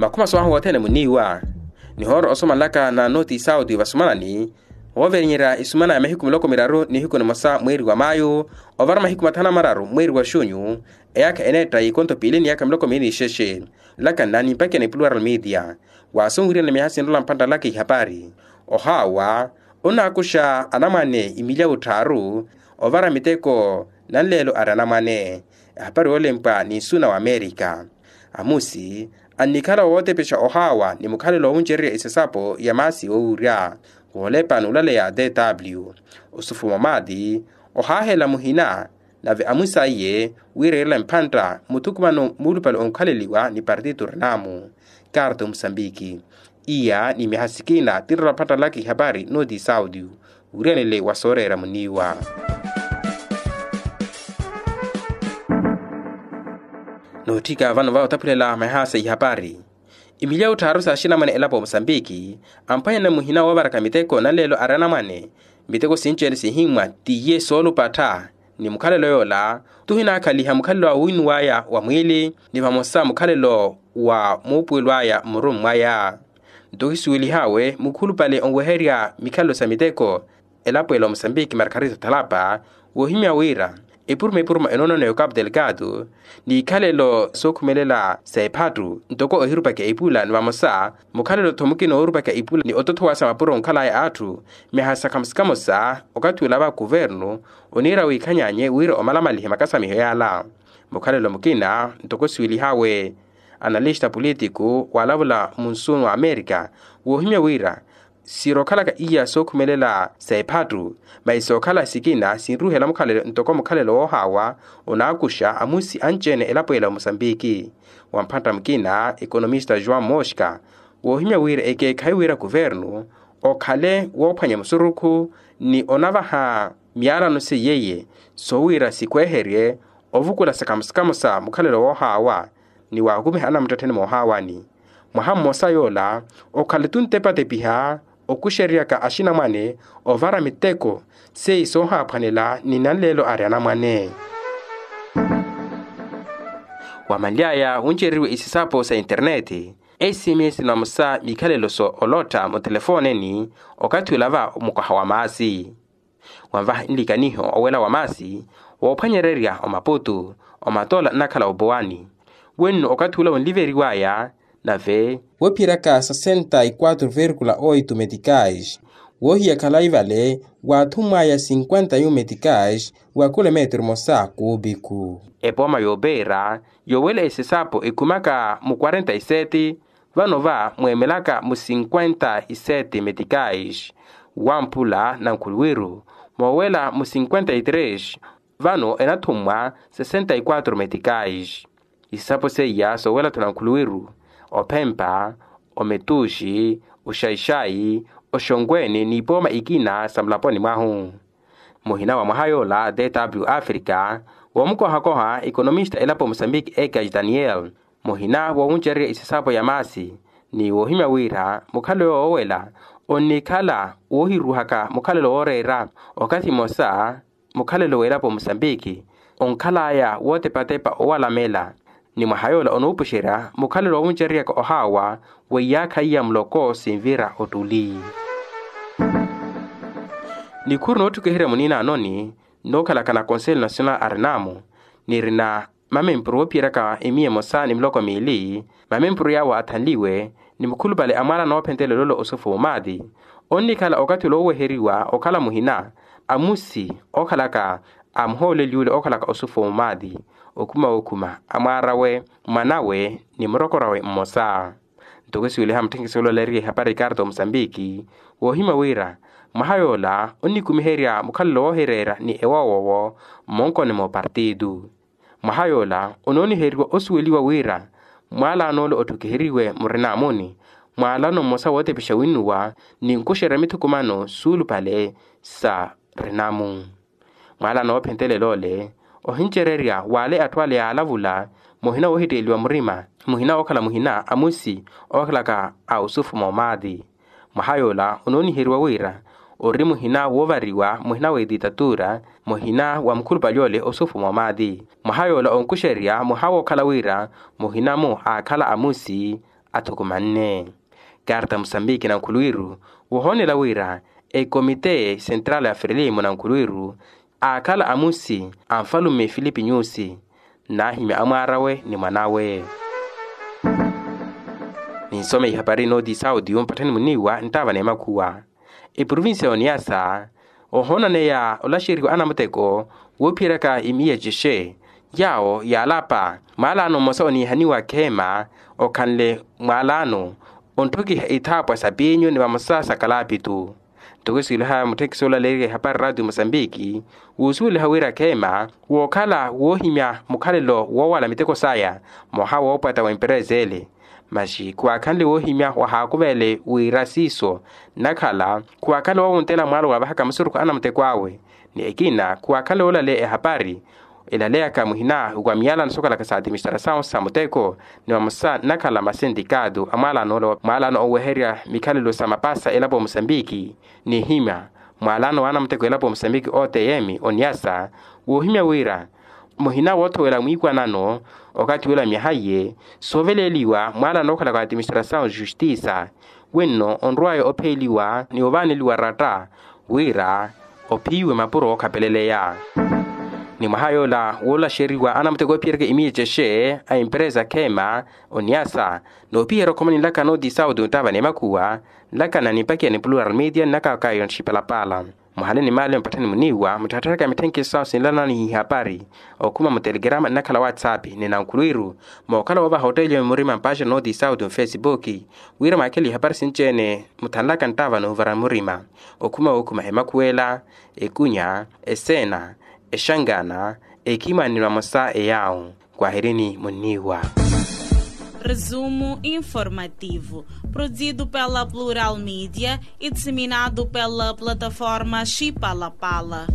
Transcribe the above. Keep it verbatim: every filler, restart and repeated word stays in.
Makhuma soowaha wothene muniiwa nihoora osomanlaka na noti saudi vasumanani. Wooverenyerya isumana ya mahiku miloko miraru nihiku nimosa mweeri wa maayu, ovara mahiku mathanu na mararu mweeri wa xunyu. Eyaakha eneetta ikonto piili ni yaakha miloko miili nixexe. Nlakanna ni mpakha ya plural media. Waasunwiriyana miyaha sinrola mphantta nlaka ihapari. Ohaawa onnaakuxa anamwane imilyawu tthaaru, ovara miteko nanleelo ari anamwane. Ehapari yoolempwa ni nsuna wa amerika. Amusi annikhala wootepexa ohaawa ni mukhalelo woowuncererya isasapo ya maasi yoowurya, woolepa n'ulaleya dw. Osufuma omaati ohaahela muhina, nave amusi aiye wiireerela mphantta muthukumano muulupale onkhaleliwa ni partito renamu. Karto musambiki. Iya ni miyaha sikina tinrola mphantta nlaka ihapari noti saudi. Wiriyanele wa sooreera muniiwa. Nootthika vano va otaphulela mayaha sa ihapari. Imilyawu tthaaru sa axinamwane elapo musambiki amphwanyana muhina woovaraka miteko nanleelo ari anamwane. Miteko sinci-ene sihimmwa tiye soolupattha. Ni mukhalelo yoola tuhinaakhaliha mukhalelo wa wiinuw'aya wa mwiili ni vamosa mukhalelo wa muupuwelo aya mmurumu mwaya. Nto ohisuwelih'awe mukhulupale onweherya mikhalelo sa miteko elapo ela omosambiki margarita thalapa, woohimya wira epuruma epuruma enoonona ya okapu delgado n'ikhalelo sookhumelela sa ephattu ntoko ohirupaka ipula ni vamosa mukhalelo-tho mukina oorupaka ipula ni otothowasa mapuro onkhalaya atthu. Miyaha sa khamusi kamosa okathi olava kuvernu oniira wiikhanyanye wira omalamalihe makasamiho yaala. Mukhalelo mukina ntoko siwelihawe analista politiku waalavula munsuunu wa amerika woohimya wira sirookhalaka iya sookhumelela sa ephattu, masi sookhala sikina sinruhela mukhalelo ntoko mukhalelo woohaawa onaakuxa amusi anci-ene elapo ela omosambiki. Wa mphantta mukina ekonomista joão mosca woohimya wira ekeekhayi wira kuvernu okhale woophwanya musurukhu ni onavaha miyaalano seiye-ye soowira sikweherye ovukula sa kamosa kamosa mukhalelo woohaawa ni waakumiha anamuttettheni moohaawani. Mwaha mmosa yoola okhale tuntepatepiha okuxereryaka axinamwane ovara miteko seiyi soohaaphwanela ni nanleelo ari anamwane. Wamanly'aya wuncereriwe isisapo sa internet sms na vamosa mikhalelo so olotta mutelefooneni okathi olava mukoha wa maasi. Wanvaha nlikaniho owela wa maasi woophwanyererya omaputu omatoola nnakhala opowani wenno okathi ula wonliveriw'aya nave woophiyeraka sesenta y quatro verkula oito metikais woohiya khalayi vale waathummw'aya sinkwenta yu metikais wa kilometru mosa kuupiku. Epooma yoopeera yowela esisapo ekhumaka mu kwarenta y sete vano va mweemelaka mu sinkwenta y sete metikais wamphula nankhuluwiru moowela mu sinkwenta y tres vano enathummwa sesenta y quatro metikais. Isapo seiya soowela-tho nankhuluwiru ophempa ometuxi oxaixai oxonkweeni n'ipooma ikina sa mulaponi mwahu. Muhina wa mwaha yoola dw africa woomukohakoha ekonomista elapo musambiki ekaj daniel muhina woowuncererya isisapo ya maasi ni woohimya wira mukhalelo woowela onnikhala woohiruhaka mukhalelo wooreera okathi mmosa mukhalelo w'elapo musambiki onkhal'aya wootepatepa owalamela. Ni mwaha yoola onoopuxerya mukhalelo woowuncereryaka ohaawa weiyaakha iya muloko sinvira ottuli. Nikhuru nootthukiherya muniinaanoni nnookhalaka na conselho nacional arinamo nirina mamempuru woophiyeraka emiya emosa ni miloko miili mamempuru yaawo aathanliwe ni mukhulupale a mwaala noophentelelolo osufu mumaati onnikhala okathi ole ooweheriwa okhala muhina amusi ookhalaka a muhooleliwule ookhalaka osufu mumaati okhuma wookhuma amwaar'awe mwanawe ni murokor'awe mmosa. Ntoko esiweliha mutthenkisi olaleeriye ehapari ikarta omusambiki woohimya wira mwaha yoola onnikumiherya mukhalelo woohireera ni ewowoowo mmonkoni moopartitu. Mwaha yoola onooniheriwa osuweliwa wira mwaalaano ole otthukiheriwe murinaamuni mwaalaano mmosa wootepexa winnuwa ni nkuxerya mithukumano suulupale sa rinamu. Mwaalaano oophentelela ole ohincererya w'ale atthu ale yaalavula muhina woohitteeliwa murima muhina wookhala muhina a musi ookhalaka a osufu moomaati. Mwaha yoola onooniheriwa wira ori muhina woovariwa muhina w'etitatura muhina wa mukhulupale ole osufu moomaati. Mwaha yoola onkuxererya mwaha wookhala wira muhina-mo aakhala amusi athukumanne. Karta musambiki nankhulwiru wohoonela wira ekomite sentrala ya frelimo nankhulwiru aakhala amusi a nfalume filipi nyusi naahimya amwaarawe ni mwanawe. Ninsome ihapari nooti sauti yompatthani muniiwa nttaava n'emakhuwa. Eprovincia ya oniyasa ohoonaneya olaxeriwa anamuteko woophiyeryaka imiya cexe yaawo yaalapa mwaalano mmosa oniihaniwa khema okhanle mwaalano ontthokiha ithaapwa sa piinyu ni vamosa sa kalapitu. Ntoko esuweliha mutthekisi olaleerya ihapari raatiyo musambiki wuusuweliha wira khema wookhala woohimya mukhalelo woowala miteko saya mwaha woopwatta wa emperesa ele. Masi khuwaakhanle woohimya wahaakuveele wira siiso nnakhala khuwaakhanle woowuntela mwaalo wavahaka musurukhu anamuteko awe. Ni ekina khuwaakhanle woolaleya ehapari elaleyaka muhina wa miyalano sookalaka sa atiministrasawu sa muteko ni vamosa nnakhala masentikaatu a mwaalano ola mwaalano oweherya mikhalelo sa mapasa elapo musambiki. Nihimya mwaalano wa anamuteko elapo musambiki otm oniyasa woohimya wira muhina woothowela mwiikwanano okathi wela myaha iye sooveleeliwa mwaalano ookhalaka wa atiministrasawu justiisa wenno onrwaya opheeliwa ni ovaaneliwa ratta wira ophiiwe mapuro ookhapeleleya. Ni mwaha yoola woolaxeriwa anamuteko oophiyeryaka imiya cexe a emperesa khema oniyasa noopiherya okhoma ninlaka nooti sauti onttaava n'emakhuwa nlakana nimpakiya ni plural media nnakaka yontthipalapala. Muhale ni maale mpatthani muniiwa mutthattharaka mitthenkhi sawo sinlanani ihapari okhuma mutelegrama nnakhala whatsapp ni nankhulwiru mookhala woovaha otteeliwa murima mpaxa nooti sauti mfesipuki wira mwaakhele ihapari sinci-ene muthanlaka nttaava noovara murima okhuma wookhuma emakhuwela ekunya eseena exangana ekhimani ni vamosa eyaawo. Kwahirini muniiwa. Resumo informativo produzido pela plural media e disseminado pela plataforma xipalapala.